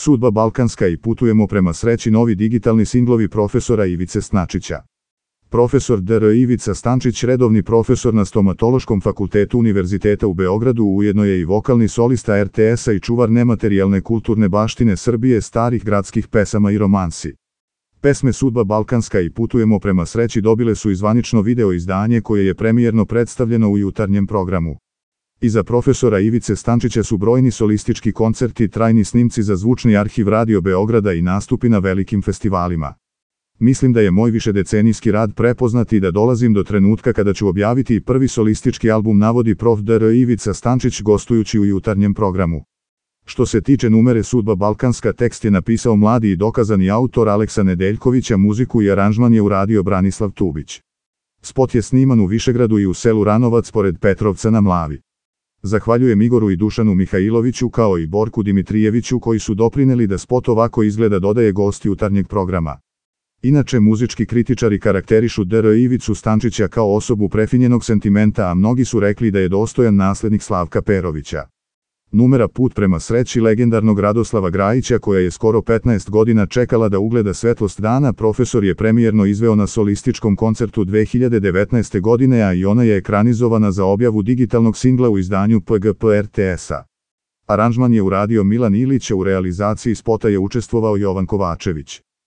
Sudba Balkanska i putujemo prema sreći novi digitalni singlovi profesora Ivice Stančića. Profesor dr. Ivica Stančić, redovni profesor na Stomatološkom fakultetu Univerziteta u Beogradu, ujedno je i vokalni solista RTS-a i čuvar nematerijalne kulturne baštine Srbije, starih gradskih pesama i romansi. Pesme Sudba Balkanska i putujemo prema sreći dobile su i zvanično video izdanje koje je premijerno predstavljeno u jutarnjem programu. Iza profesora Ivice Stančića su brojni solistički koncerti, trajni snimci za zvučni arhiv Radio Beograda i nastupi na velikim festivalima. Mislim da je moj višedecenijski rad prepoznat i da dolazim do trenutka kada ću objaviti i prvi solistički album, navodi prof. dr. Ivica Stančić gostujući u jutarnjem programu. Što se tiče numere Sudba Balkanska, tekst je napisao mladi i dokazani autor Aleksa Nedeljković, a muziku i aranžman je uradio Branislav Tubić. Spot je sniman u Višegradu i u selu Ranovac pored Petrovca na Mlavi. Zahvaljujem Igoru i Dušanu Mihajloviću kao i Borku Dimitrijeviću koji su doprineli da spot ovako izgleda, dodaje gost jutarnjeg programa. Inače, muzički kritičari karakterišu dr. Ivicu Stančića kao osobu prefinjenog sentimenta, a mnogi su rekli da je dostojan naslednik Slavka Perovića. Numera Put prema sreći legendarnog Radoslava Grajića, koja je skoro 15 godina čekala da ugleda svetlost dana, profesor je premijerno izveo na solističkom koncertu 2019. godine, a i ona je ekranizovana za objavu digitalnog singla u izdanju PGP RTS-a. Aranžman je uradio Milan Ilić, a u realizaciji spota je učestvovao Jovan Kovačević.